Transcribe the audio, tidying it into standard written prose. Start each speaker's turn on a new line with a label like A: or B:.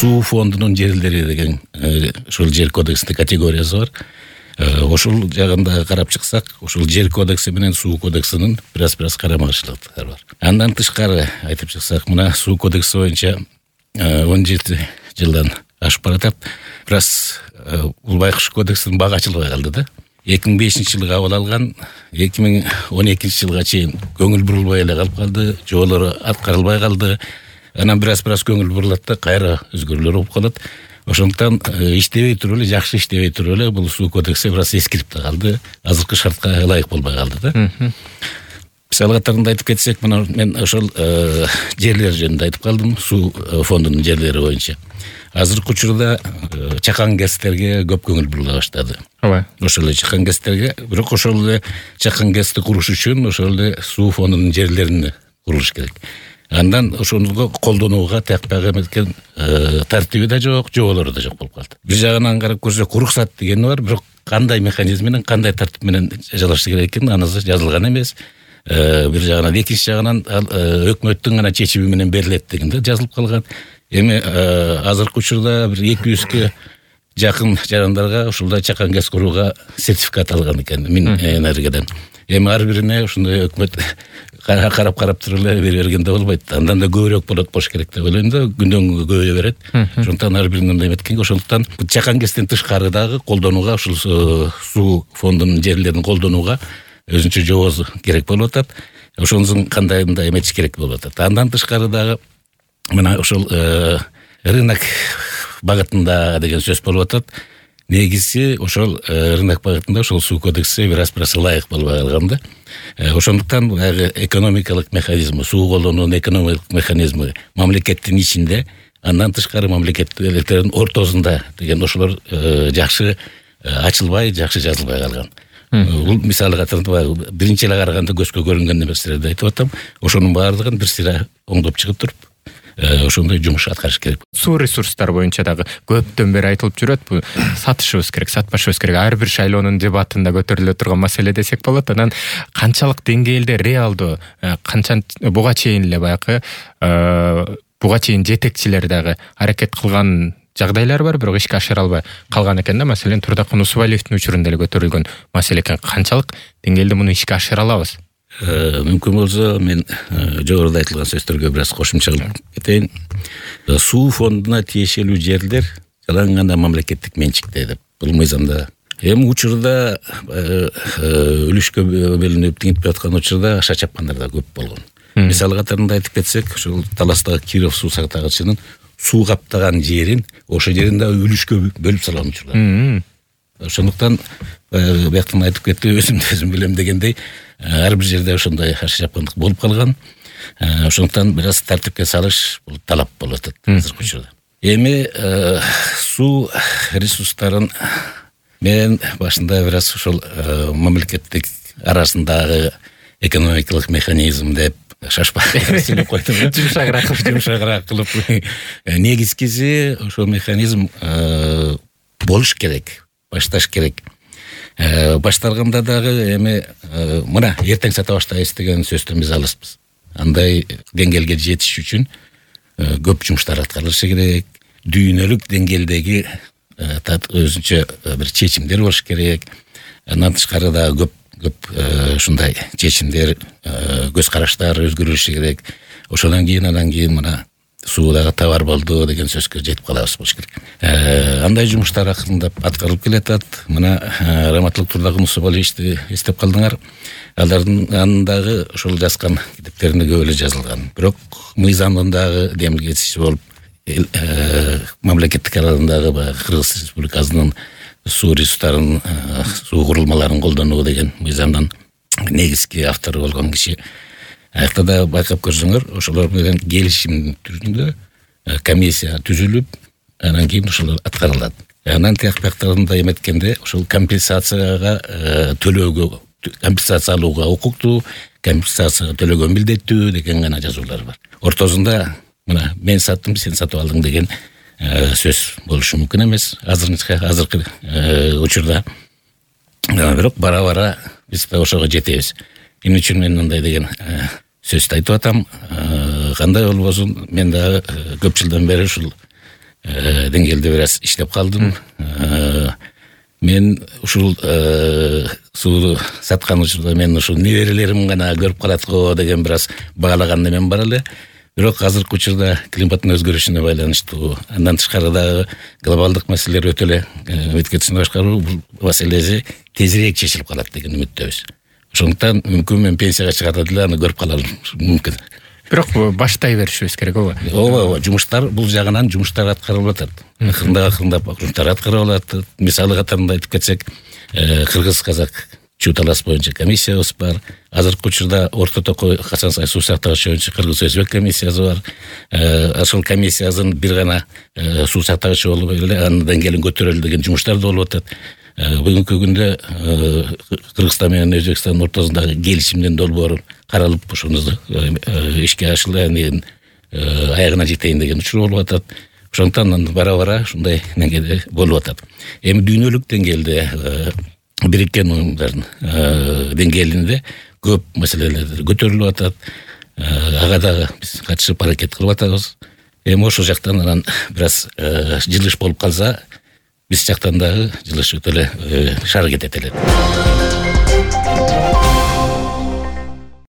A: суу фондунун жерлери деген ошол жер кодексинде категориясы бар. Ошол жагында карап чыксак, ошол жер кодекси менен суу кодексинин бир аз карама каршылыктары бар. Андан тышкары айтып чыксак, мына суу кодекси боюнча 17 жылдан ашып баратат. Бир аз бул байкуш кодексинин бага ачылбай калды да. 2005-жылы кабыл алган, 2012-жылга чейин көңүл бурулбай эле калып калды, жоболору аткарылбай калды. Анан бир аз көңүл бурулат да кайра өзгөрүүлөр болуп калат. Ошондуктан иштебей туруп эле, жакшы иштебей туруп эле бул суу кодекси бир аз эскирип да калды, азыркы шартка ылайык болбой калды да. Мисал катарында айтып кетсек, мына мен ошол жерлер жөнүндө айтып калдым, суу фондунун жерлери боюнча. Азыркы учурда чакан гэстерге көп көңүл бурула баштады.
B: Ооба.
A: Ошол эле чакан гэстерге, бирок ошол эле чакан гэсти куруш үчүн ошол эле суу фондунун жерлерин курулуш керек. Андан ошону колдонууга тиякпай эметкен тартиби да жок, жоболору да жок болуп калды. Бир жагынан карап көрсөк, уруксат дегени бар, бирок кандай механизм менен, кандай тартип менен жасалышы керек экен, анысы жазылган эмес. Бир жагынан, экинчи жагынан өкмөттүн гана чечими менен берилет деген да жазылып калган. Эми азыркы учурда бир 200 жакын жарандарга ушулда чакан гэс курууга сертификат алган экен Минэнергиядан. Эми ар бирине ушундай өкмөт карап туруп эле бере бергенде болбойт. Андан да көбүрөөк болуш керек деп ойлойм да, күндөн күнгө көбөйө берет. Ошондуктан ар биринин мындай эметкенге, ошондуктан чакан гэстен тышкары дагы колдонууга, ушул суу фондунун жерлерин колдонууга өзүнчө жобосу керек болуп атат. Ошонусун кандай эметиш керек болуп атат. Андан тышкары дагы мына ошол рынок багытында деген сөз болуп атат. Негизи ошол рынок багытында ошол суу кодекси бир аз ылайык болбой калган да. Ошондуктан баягы экономикалык механизм, суу колдонуунун экономикалык механизми мамлекеттин ичинде, андан тышкары мамлекеттердин ортосунда деген ошолор жакшы ачылбай, жакшы жазылбай калган. Бул мисалы катарында биринчи эле караганда көзгө көрүнгөн нерселерди айтып атам. Ошонун баардыгын бир сыйра оңдоп чыгып туруп, ошондой жумуш аткарыш керек.
B: Суу ресурстары боюнча дагы көптөн бери айтылып жүрөт, бул сатышыбыз керек, сатпашыбыз керек. Ар бир шайлоонун дебатында көтөрүлө турган маселе десек болот. Анан канчалык деңгээлде реалдуу, канча буга чейин эле баягы буга чейин жетекчилер дагы аракет кылган жагдайлар бар, бирок ишке ашыра албай калган экен да. Маселен, Турдакын Усубалиевдин учурунда эле көтөрүлгөн маселе экен. Канчалык деңгээлде муну ишке ашыра алабыз?
A: Мүмкүн болсо мен жогоруда айтылган сөздөргө бир аз кошумча кылып кетейин. Суу фондуна тиешелүү жерлер жалаң гана мамлекеттик менчикте деп бул мыйзамда. Эми учурда үлүшкө бөлүнүп тигинтип аткан учурда аша чапкандар да көп болгон. Мисал катарында айтып кетсек, ошол Таластагы Киров суу сактагычынын суу каптаган жерин, ошол жерин да үлүшкө бөлүп салган учурлар. Ошондуктан бияктан айтып кетти, өзүм билем дегендей, ар бир жерде ошондой аша чапкандык болуп калган. Ошондуктан бир аз тартипке салыш бул талап болуп атат азыркы учурда. Эми суу ресурстарын мен башында бир аз ошол мамлекеттик арасындагы экономикалык механизм деп шашпай сүйлөп койдум. Жумшагыраак кылып. Негизгиси ошол механизм болуш керек, башташ керек. Башталганда дагы эми мына эртең сата баштайбыз деген сөздөн биз алыспыз. Андай деңгээлге жетиш үчүн көп жумуштар аткарылышы керек. Дүйнөлүк деңгээлдеги өзүнчө бир чечимдер болуш керек. Андан тышкары да көп ушундай чечимдер, көз караштар өзгөрүлүшү керек. Ошондон кийин анан кийин мына суудагы товар болду деген сөзгө жетип калабыз болуш керек. Андай жумуштар акырындап аткарылып келатат. Мына Раматылык Турдакын Усубалиевди эстеп калдыңар. Алардын андагы ошол жазган китептеринде көп эле жазылган. Бирок мыйзамдын дагы демилгесичи болуп, мамлекеттик аралыгындагы Кыргыз Республикасынын суу ресурстарын, суу курулмаларын колдонуу деген мыйзамдын негизги автору болгон киши. Аякта да байкап көрсөңөр, ошолор менен келишим түрүндө комиссия түзүлүп, анан кийин ошолор аткарылат. Анан тияктарында эметкенде ошол компенсацияга төлөөгө, компенсация алууга укуктуу, компенсация төлөгөн милдеттүү деген гана жазуулар бар. Ортосунда мына мен саттым, сен сатып алдың деген сөз болушу мүмкүн эмес азыркы учурда. Бирок бара-бара биз ошого жетебиз. Эмне үчүн мен мындай деген сөздү айтып атам? Кандай болбосун, мен дагы көп жылдан бери ушул деңгээлде бир аз иштеп калдым. Мен ушул сууну саткан учурда мен ушул неберелерим гана көрүп калат го деген бир аз баалаган эмем бар эле. Бирок азыркы учурда климаттын өзгөрүшүнө байланыштуу, андан тышкары дагы глобалдык маселелер өтө эле өткөчүн башкаруу, бул маселеси тезирээк чечилип калат деген үмүттөбүз. Ошондуктан мүмкүн мен пенсияга чыгат эле аны көрүп калалым мүмкүн.
B: Бирок баштай беришибиз керек, ооба.
A: Ооба, жумуштар бул жагынан жумуштар аткарылып атат. Акырындап жумуштар аткарылып атат. Мисалы катарында айтып кетсек, кыргыз-казак чуу талаш боюнча комиссиябыз бар. Азыркы учурда Орто Токой Хасан Сай суу сактагыч боюнча кыргыз-өзбек комиссиясы бар. Ошол комиссиянын бир гана суу сактагычы болуп эле анын деңгээлин көтөрөлү деген жумуштар да болуп атат. Бүгүнкү күндө Кыргызстан менен Өзбекстандын ортосундагы келишимдин долбоору каралып, ошону ишке ашырылып, аягына жетейин деген учур болуп атат. Ошондуктан бара-бара ушундай деңгээлде болуп атат. Эми дүйнөлүк деңгээлде Бириккен Уюмдардын деңгээлинде көп маселелер көтөрүлүп атат. Ага дагы биз катышып аракет кылып атабыз. Эми ошол жактан анан бир аз жылыш болуп калса, биз жактан дагы жылыш өтө эле аракет этелет.